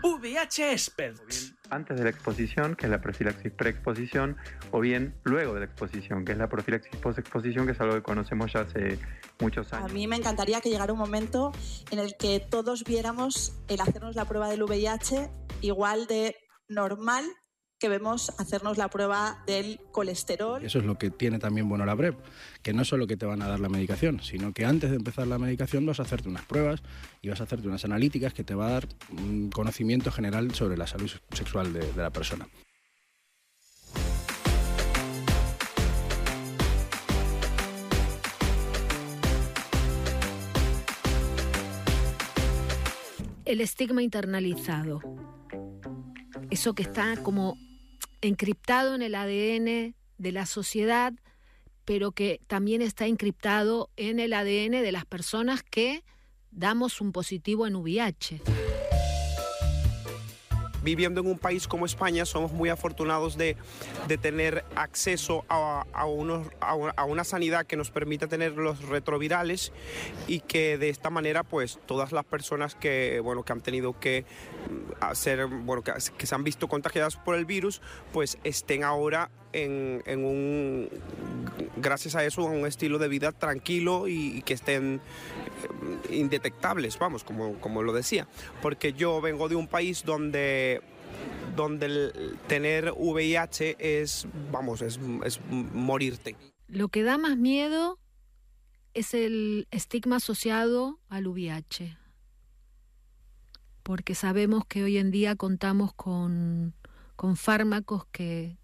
VIH Experts. antes de la exposición, que es la profilaxis preexposición, o bien luego de la exposición, que es la profilaxis postexposición, que es algo que conocemos ya hace muchos años. A mí me encantaría que llegara un momento en el que todos viéramos el hacernos la prueba del VIH igual de normal que vemos hacernos la prueba del colesterol. Eso es lo que tiene también bueno la PrEP, que no es solo que te van a dar la medicación, sino que antes de empezar la medicación vas a hacerte unas pruebas y vas a hacerte unas analíticas que te va a dar un conocimiento general sobre la salud sexual de la persona. El estigma internalizado, eso que está como encriptado en el ADN de la sociedad, pero que también está encriptado en el ADN de las personas que damos un positivo en VIH. Viviendo en un país como España, somos muy afortunados de tener acceso a una sanidad que nos permite tener los retrovirales y que de esta manera, pues, todas las personas que han tenido que hacer, que se han visto contagiadas por el virus, pues estén ahora gracias a eso, a un estilo de vida tranquilo y que estén indetectables, vamos, como lo decía. Porque yo vengo de un país donde el tener VIH es morirte. Lo que da más miedo es el estigma asociado al VIH. Porque sabemos que hoy en día contamos con fármacos que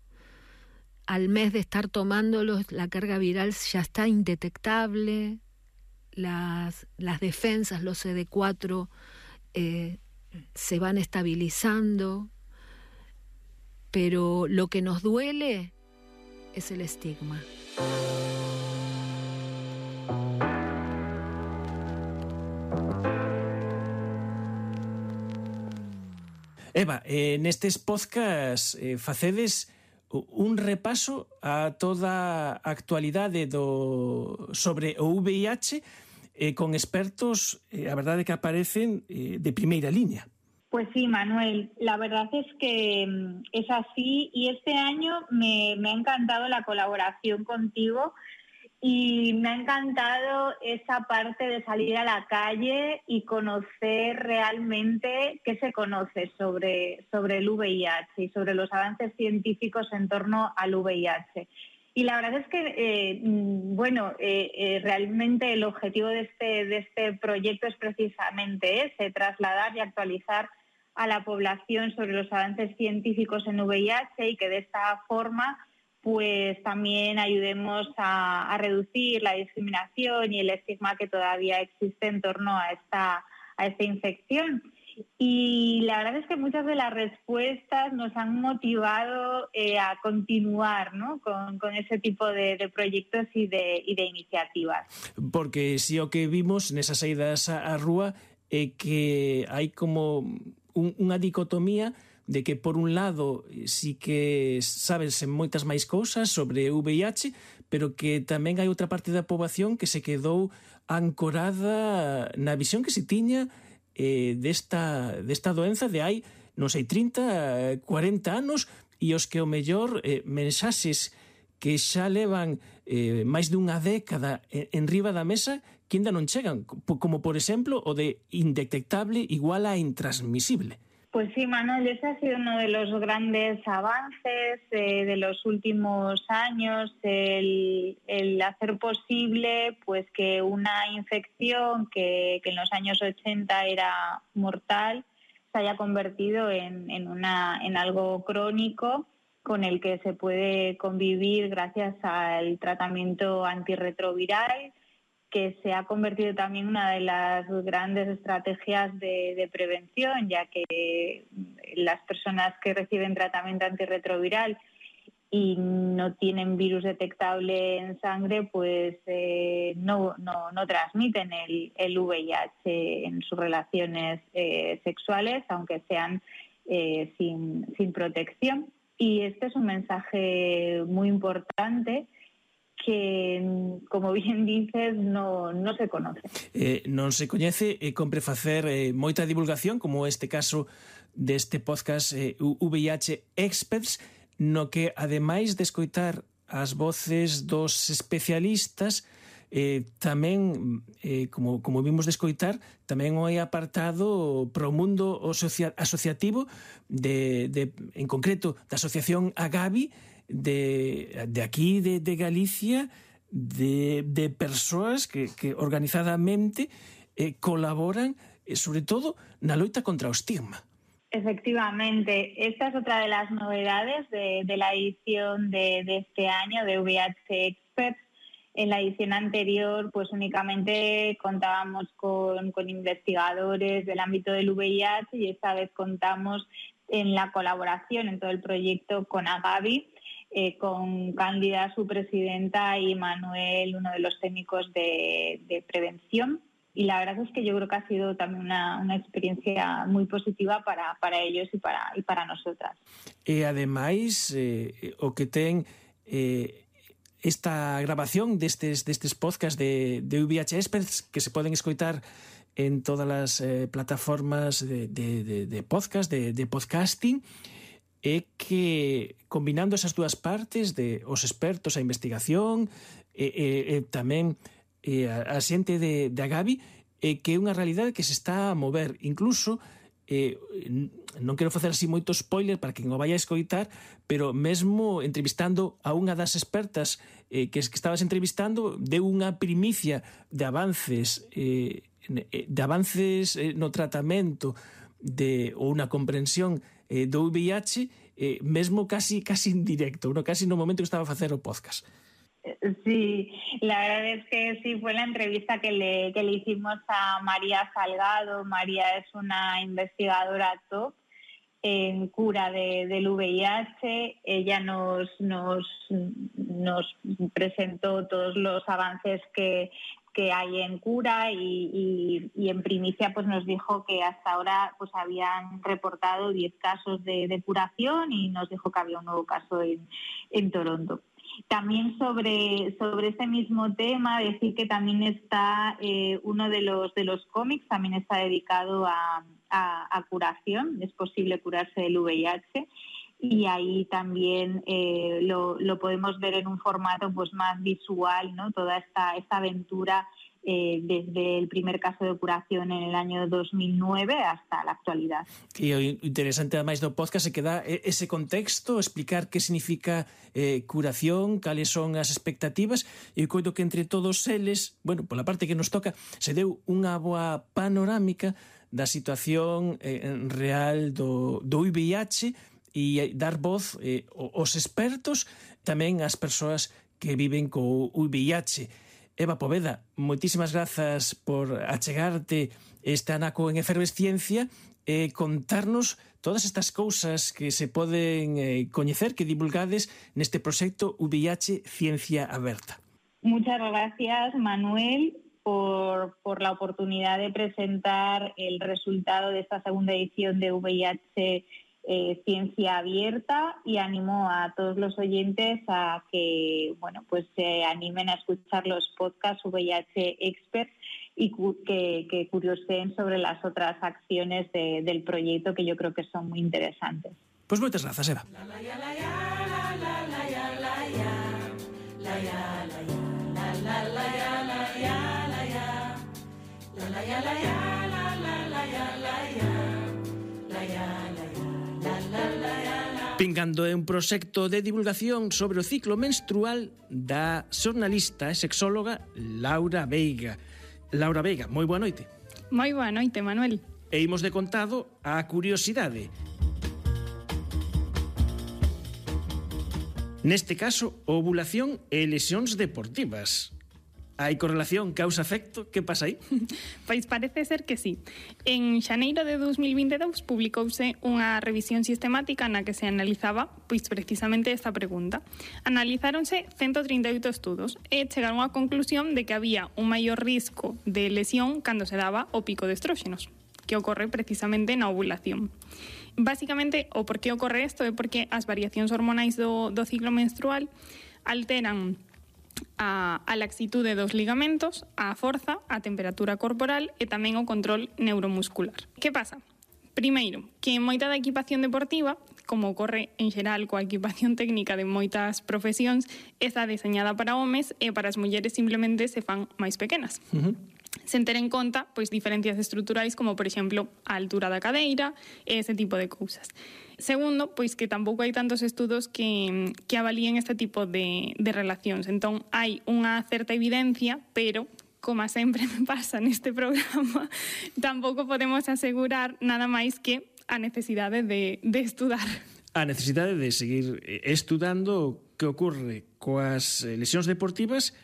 al mes de estar tomándolos, la carga viral ya está indetectable, las defensas, los CD4, se van estabilizando, pero lo que nos duele es el estigma. Eva, nestes podcast facedes un repaso a toda a actualidade sobre o VIH con expertos, a verdade que aparecen de primeira línea. Pues sí, Manuel, la verdad es que es así y este año me ha encantado la colaboración contigo y me ha encantado esa parte de salir a la calle y conocer realmente qué se conoce sobre el VIH y sobre los avances científicos en torno al VIH. Y la verdad es que, realmente el objetivo de este proyecto es precisamente ese, trasladar y actualizar a la población sobre los avances científicos en VIH y que de esta forma pues también ayudemos a reducir la discriminación y el estigma que todavía existe en torno a esta infección. Y la verdad es que muchas de las respuestas nos han motivado a continuar, ¿no?, con ese tipo de proyectos y de iniciativas. Porque si o que vimos nesas saídas á rúa é que hai como unha dicotomía de que, por un lado, sí que sabes moitas máis cousas sobre VIH, pero que tamén hai outra parte da poboación que se quedou ancorada na visión que se tiña desta doenza de hai, non sei, 30, 40 anos, e os que o mellor mensaxes que xa levan máis dunha década en riba da mesa que ainda non chegan, como, por exemplo, o de indetectable igual a intransmisible. Pues sí, Manuel, ese ha sido uno de los grandes avances de los últimos años, el hacer posible pues que una infección que en los años 80 era mortal se haya convertido en algo crónico con el que se puede convivir gracias al tratamiento antirretroviral, que se ha convertido también en una de las grandes estrategias de prevención, ya que las personas que reciben tratamiento antirretroviral y no tienen virus detectable en sangre, pues no transmiten el VIH en sus relaciones sexuales, aunque sean sin protección. Y este es un mensaje muy importante que, como bien dices, no se conoce. Non se coñece e compre facer moita divulgación, como este caso deste podcast VIH Experts, no que, ademais de escoitar as voces dos especialistas, tamén, como vimos de escoitar, tamén hai apartado pro mundo asociativo en concreto da asociación Agavi de aquí de Galicia, de persoas que organizadamente colaboran sobre todo na loita contra o estigma. Efectivamente, esta es otra de las novedades de la edición de este año de VIH Experts. En la edición anterior, pues únicamente contábamos con investigadores del ámbito del VIH, y esta vez contamos en la colaboración en todo el proyecto con Agavi, con Cándida, su presidenta, y Manuel, uno de los técnicos de prevención. Y la verdad es que yo creo que ha sido también una experiencia muy positiva para ellos y para nosotras. E ademais, o que ten esta grabación destes podcast de VIH Experts, que se poden escoitar en todas as plataformas de podcast, de podcasting, é que, combinando esas dúas partes de os expertos, a investigación e tamén a xente de Agavi, que é unha realidade que se está a mover. Incluso, non quero facer así moito spoiler para que non o vaya a escoitar, pero mesmo entrevistando a unha das expertas que estabas entrevistando, deu unha primicia de avances no tratamento ou unha comprensión do VIH, mesmo casi en directo, casi no momento que estaba a facer o podcast. Sí, la verdad es que sí, fue la entrevista que le hicimos a María Salgado. María es una investigadora top en cura del VIH. Ella nos presentó todos los avances que hay en cura y en primicia pues nos dijo que hasta ahora pues habían reportado 10 casos de curación, y nos dijo que había un nuevo caso en Toronto. También sobre ese mismo tema, decir que también está uno de los cómics, también está dedicado a curación. Es posible curarse del VIH, y ahí también lo podemos ver en un formato pues más visual, ¿no? Toda esta aventura desde el primer caso de curación en el año 2009 hasta la actualidad. E o interesante ademais do podcast é que dá ese contexto, explicar que significa curación, cales son as expectativas, e coido que entre todos eles, bueno, pola parte que nos toca, se deu unha boa panorámica da situación real do VIH, e dar voz aos expertos, tamén ás persoas que viven co VIH. Eva Poveda, moitísimas grazas por achegarte este anaco en efervesciencia e contarnos todas estas cousas que se poden coñecer, que divulgades neste proxecto VIH Ciencia Aberta. Muchas gracias, Manuel, por la oportunidad de presentar el resultado de esta segunda edición de VIH Ciencia Abierta, y animo a todos los oyentes a que pues se animen a escuchar los podcasts VIH Experts y que curioseen sobre las otras acciones del proyecto, que yo creo que son muy interesantes. Pues moitas grazas, Eva. Pingando é un proxecto de divulgación sobre o ciclo menstrual da xornalista e sexóloga Laura Veiga. Laura Veiga, moi boa noite. Moi boa noite, Manuel. E imos de contado a curiosidade. Neste caso, ovulación e lesións deportivas. Hai correlación causa-efecto? Que pasa aí? Pois parece ser que sí. En xaneiro de 2022 publicouse unha revisión sistemática na que se analizaba pois precisamente esta pregunta. Analizáronse 138 estudos e chegaron á conclusión de que había un maior risco de lesión cando se daba o pico de estróxenos, que ocorre precisamente na ovulación. Básicamente, o por que ocorre isto é porque as variacións hormonais do ciclo menstrual alteran a laxitude dos ligamentos, a forza, a temperatura corporal e tamén o control neuromuscular. Que pasa? Primeiro, que moita da equipación deportiva, como ocorre en xeral coa equipación técnica de moitas profesións, está deseñada para homes e para as mulleres simplemente se fan máis pequenas. Sen ter en conta pois diferencias estruturais como, por exemplo, a altura da cadeira e ese tipo de cousas. Segundo, pois que tampouco hai tantos estudos que avalíen este tipo de relacións. Entón, hai unha certa evidencia, pero como sempre me pasa neste programa, tampouco podemos asegurar nada máis que a necesidade de estudar. A necesidade de seguir estudando o que ocorre coas lesións deportivas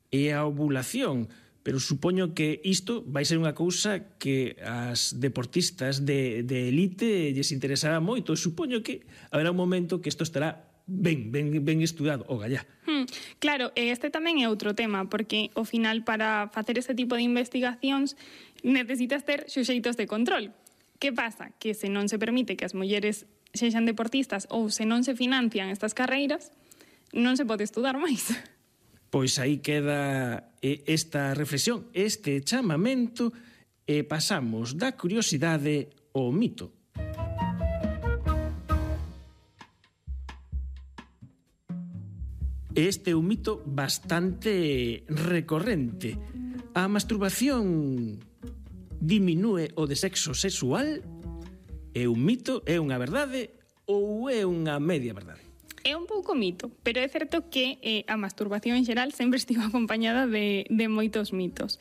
e a ovulación. Pero supoño que isto vai ser unha cousa que as deportistas de elite lles interesará moito. Supoño que haberá un momento que isto estará ben estudado, o gallá. Claro, este tamén é outro tema, porque ao final para facer este tipo de investigacións necesitas ter suxeitos de control. Que pasa? Que se non se permite que as mulleres sexan deportistas ou se non se financian estas carreiras, non se pode estudar máis. Pois aí queda esta reflexión, este chamamento, e pasamos da curiosidade ao mito. Este é un mito bastante recorrente. A masturbación diminúe o de sexo sexual? É un mito, é unha verdade ou é unha media verdade? É un pouco mito, pero é certo que a masturbación en xeral sempre estivo acompañada de moitos mitos.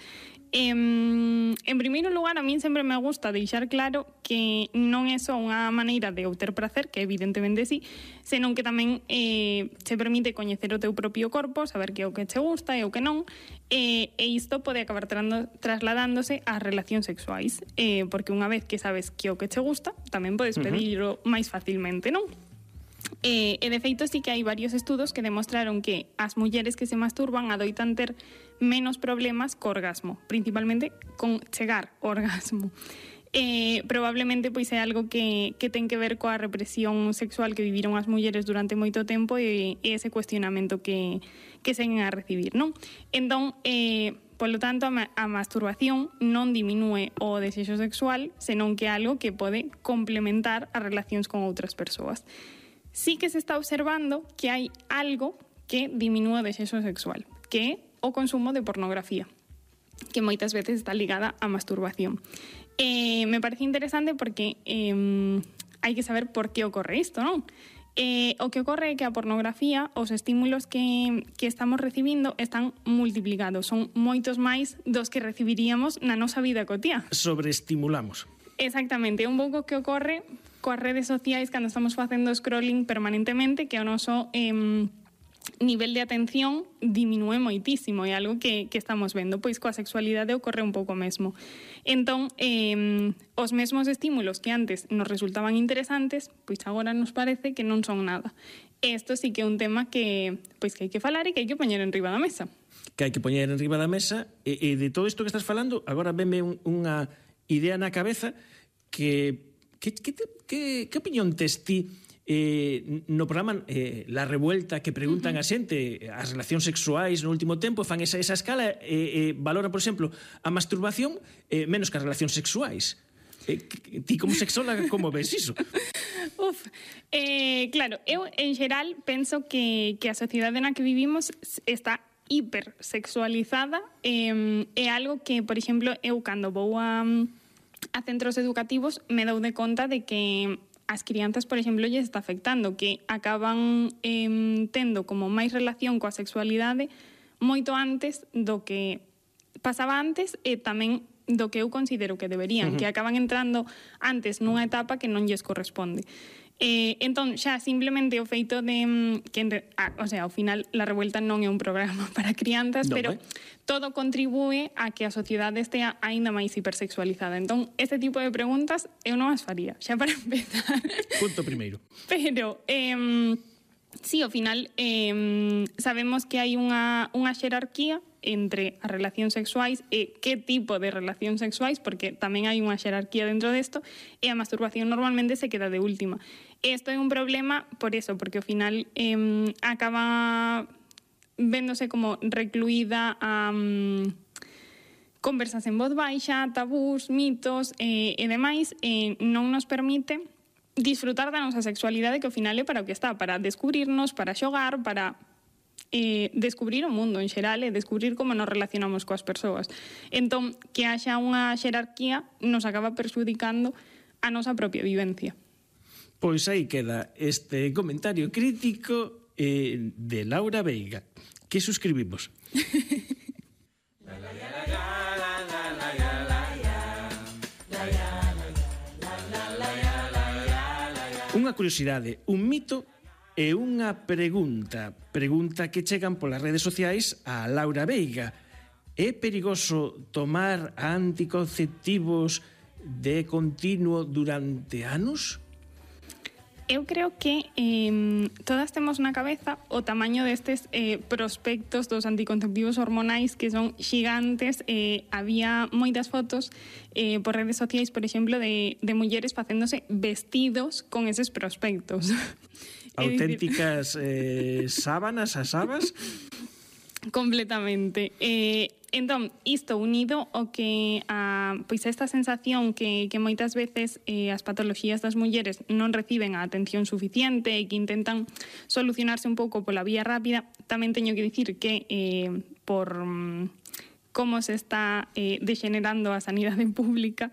En primeiro lugar, a min sempre me gusta deixar claro que non é só unha maneira de obter prazer, que evidentemente sí, senón que tamén se permite coñecer o teu propio corpo, saber que é o que che gusta e o que non, e isto pode acabar trasladándose ás relacións sexuais, porque unha vez que sabes que é o que che gusta, tamén podes pedirlo máis facilmente, non? E de feito sí que hai varios estudos que demostraron que as mulleres que se masturban adoitan ter menos problemas co orgasmo, principalmente con chegar ao orgasmo. Probablemente pois é algo que ten que ver coa represión sexual que viviron as mulleres durante moito tempo e ese cuestionamento que seguen a recibir, non? Entón, polo tanto, a masturbación non diminúe o desexo sexual, senón que é algo que pode complementar as relacións con outras persoas. Sí que se está observando que hai algo que diminúe o desexo sexual, que é o consumo de pornografía, que moitas veces está ligada á masturbación. Me parece interesante porque hai que saber por que ocorre isto, non? O que ocorre é que a pornografía, os estímulos que estamos recibindo están multiplicados, son moitos máis dos que recibiríamos na nosa vida cotiá. Sobreestimulamos. Exactamente, é un pouco que ocorre coas redes sociais cando estamos facendo scrolling permanentemente, que o noso nivel de atención diminúe moitísimo, é algo que estamos vendo, pois coa sexualidade ocorre un pouco mesmo. Entón, os mesmos estímulos que antes nos resultaban interesantes, pois agora nos parece que non son nada. Isto sí que é un tema que hai que falar e que hai que poñer en riba da mesa. Que hai que poñer en riba da mesa, e de todo isto que estás falando, agora venme unha idea na cabeza que opinión tes ti no programa La Revuelta, que preguntan a xente as relacións sexuais no último tempo, fan esa escala e valoran, por exemplo, a masturbación menos que as relacións sexuais. Ti como sexóloga, como ves iso? Claro, eu en xeral penso que a sociedade na que vivimos está hipersexualizada, é algo que, por exemplo, eu cando vou a centros educativos me dou de conta de que as crianzas, por exemplo, lles está afectando, que acaban tendo como máis relación coa sexualidade moito antes do que pasaba antes e tamén do que eu considero que deberían, que acaban entrando antes nunha etapa que non lles corresponde. Entón, xa simplemente o feito de ao final La Revuelta non é un programa para crianzas, pero todo contribúe a que a sociedade estea aínda máis hipersexualizada. Entón, este tipo de preguntas eu non as faría, xa para empezar. Punto primeiro. Pero sí, ao final sabemos que hai unha xerarquía entre as relacións sexuais e que tipo de relacións sexuais, porque tamén hai unha xerarquía dentro desto, e a masturbación normalmente se queda de última. Isto é un problema por eso, porque ao final acaba véndose como recluída a conversas en voz baixa, tabús, mitos e demais, non nos permite disfrutar da nosa sexualidade, que ao final é para o que está, para descubrirnos, para xogar, para descubrir o mundo en xeral e descubrir como nos relacionamos coas persoas. Entón, que haxa unha xerarquía nos acaba perxudicando a nosa propia vivencia. Pois aí queda este comentario crítico de Laura Veiga, que suscribimos. Unha curiosidade, un mito e unha pregunta que chegan polas redes sociais a Laura Veiga. É perigoso tomar anticonceptivos de continuo durante anos? Eu creo que todas temos na cabeza o tamaño destes prospectos dos anticonceptivos hormonais que son gigantes. Había moitas fotos por redes sociais, por exemplo, de mulleres facéndose vestidos con eses prospectos. Auténticas sábanas, asabas? Completamente. Entón, isto unido ao que pois esta sensación que moitas veces as patoloxías das mulleres non reciben a atención suficiente e que intentan solucionarse un pouco pola vía rápida, tamén teño que dicir que por como se está degenerando a sanidade pública,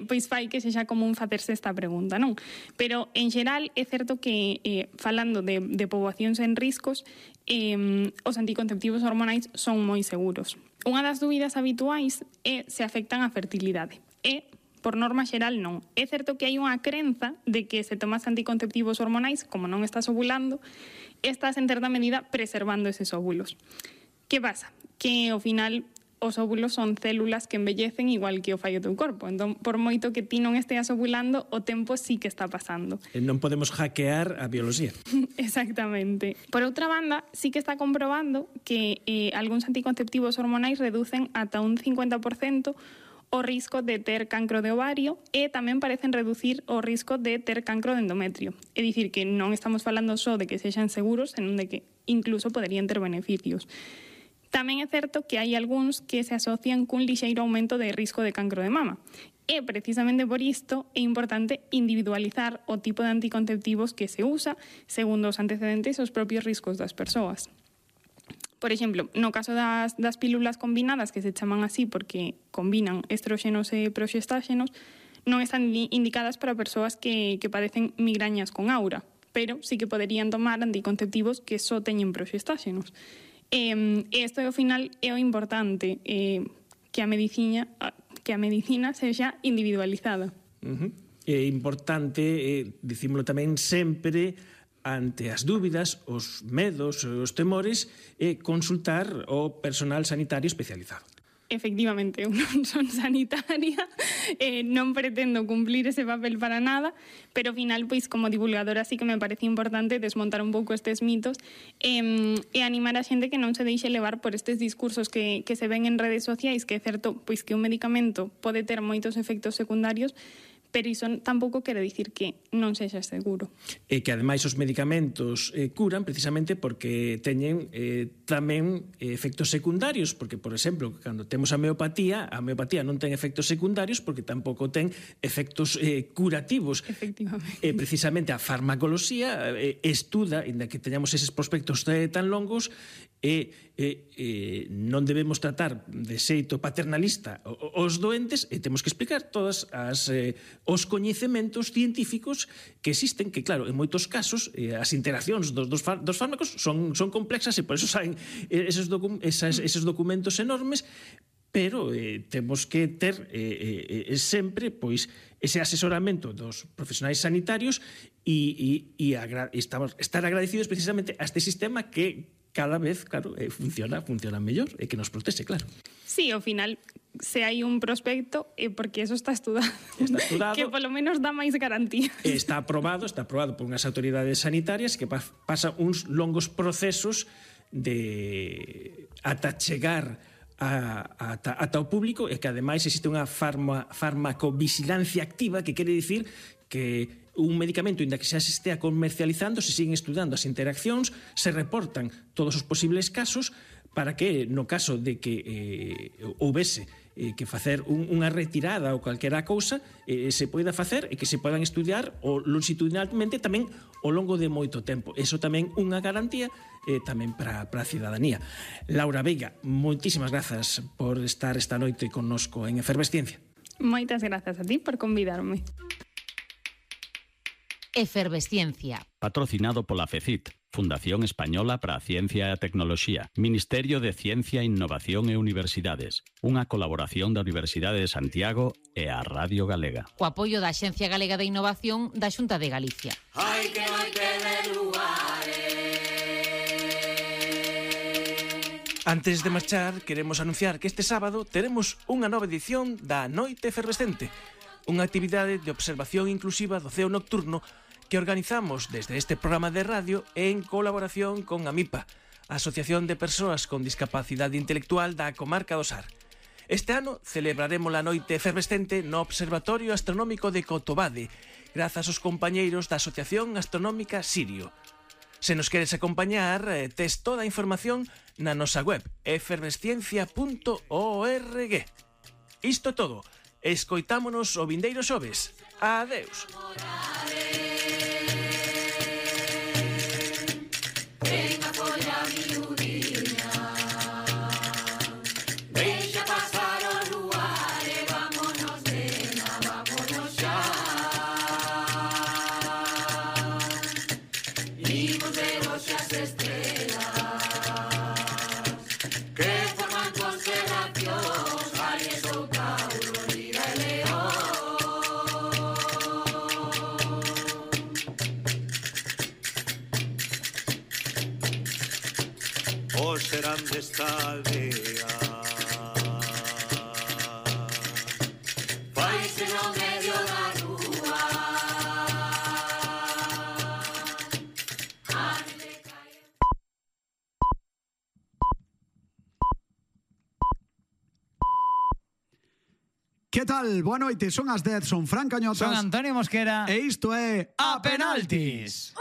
pois fai que sexa común facerse esta pregunta, non? Pero, en xeral, é certo que, falando de poboacións en riscos, os anticonceptivos hormonais son moi seguros. Unha das dúbidas habituais é se afectan a fertilidade. Por norma xeral, non. É certo que hai unha crenza de que se tomas anticonceptivos hormonais, como non estás ovulando, estás en certa medida preservando eses óvulos. Que pasa? Que, ao final, os óvulos son células que envellecen igual que o fai o teu corpo. Entón, por moito que ti non esteas ovulando, o tempo sí que está pasando. Non podemos hackear a bioloxía. Exactamente. Por outra banda, sí que está comprobando que algúns anticonceptivos hormonais reducen ata un 50% o risco de ter cancro de ovario e tamén parecen reducir o risco de ter cancro de endometrio. É dicir, que non estamos falando só de que sexan seguros, senón de que incluso poderían ter beneficios. Tamén é certo que hai algúns que se asocian cun lixeiro aumento de risco de cancro de mama. E precisamente por isto é importante individualizar o tipo de anticonceptivos que se usa segundo os antecedentes e os propios riscos das persoas. Por exemplo, no caso das pílulas combinadas, que se chaman así porque combinan estróxenos e proxestáxenos, non están indicadas para persoas que padecen migrañas con aura, pero sí que poderían tomar anticonceptivos que só teñen proxestáxenos. Isto, ao final, é o importante, que a medicina sexa individualizada. É importante, dicímolo tamén sempre, ante as dúbidas, os medos, os temores, consultar o personal sanitario especializado. Efectivamente, eu non son sanitaria, non pretendo cumplir ese papel para nada, pero ao final, pois, como divulgadora, sí que me parece importante desmontar un pouco estes mitos e animar a xente que non se deixe levar por estes discursos que se ven en redes sociais, que é certo pois que un medicamento pode ter moitos efectos secundarios, pero iso tampouco quere dicir que non sexa seguro. E que, ademais, os medicamentos curan precisamente porque teñen tamén efectos secundarios, porque, por exemplo, cando temos a homeopatía non ten efectos secundarios porque tampouco ten efectos curativos. Efectivamente. Precisamente a farmacoloxía estuda, inda que teñamos eses prospectos tan longos, non debemos tratar de xeito paternalista os doentes e temos que explicar todas os coñecementos científicos que existen, que claro, en moitos casos as interaccións dos fármacos son complexas e por eso saen eses documentos enormes, pero temos que ter sempre pois ese asesoramento dos profesionais sanitarios e estar agradecidos precisamente a este sistema que cada vez, claro, funciona mellor e que nos protege, claro. Sí, ao final, se hai un prospecto, porque eso está estudado. Está estudado. Que polo menos dá máis garantía. Está aprobado por unhas autoridades sanitarias que pasan uns longos procesos de ata chegar ata o público e que ademais existe unha farmacovigilancia activa, que quere dicir que un medicamento, inda que xa se estea comercializando, se siguen estudando as interaccións, se reportan todos os posibles casos para que, no caso de que houvese que facer unha retirada ou calquera cousa, se poida facer e que se podan estudiar longitudinalmente tamén ao longo de moito tempo. Eso tamén unha garantía tamén para a cidadanía. Laura Veiga, moitísimas grazas por estar esta noite connosco en Efervesciencia. Moitas grazas a ti por convidarme. Efervesciencia. Patrocinado pola FECIT, Fundación Española para a Ciencia e a Tecnoloxía, Ministerio de Ciencia, Innovación e Universidades, unha colaboración da Universidade de Santiago e a Radio Galega. O apoio da Axencia Galega de Innovación da Xunta de Galicia. Hai que noite de lugares. Antes de marchar, queremos anunciar que este sábado teremos unha nova edición da Noite Efervescente, unha actividade de observación inclusiva do ceo nocturno que organizamos desde este programa de radio en colaboración con AMIPA, a Asociación de Persoas con Discapacidade Intelectual da Comarca do Sar. Este ano celebraremos a Noite Efervescente no Observatorio Astronómico de Cotobade, grazas aos compañeiros da Asociación Astronómica Sirio. Se nos queres acompañar, tes toda a información na nosa web efervesciencia.org. Isto é todo. Escoitámonos o vindeiro xoves. Adeus. Venga, polla miudinha, deixa pasar os luares, vámonos, nena, vámonos xa. Imos ver hoxe as estrelas que forman constelacións, Aries ou Tauro, Lira e León. Os serán desta aldea, faise no medio da rúa. Que tal? Boa noite, son as 10, son Fran Cañotas. Son Antonio Mosquera. E isto é A Penaltis.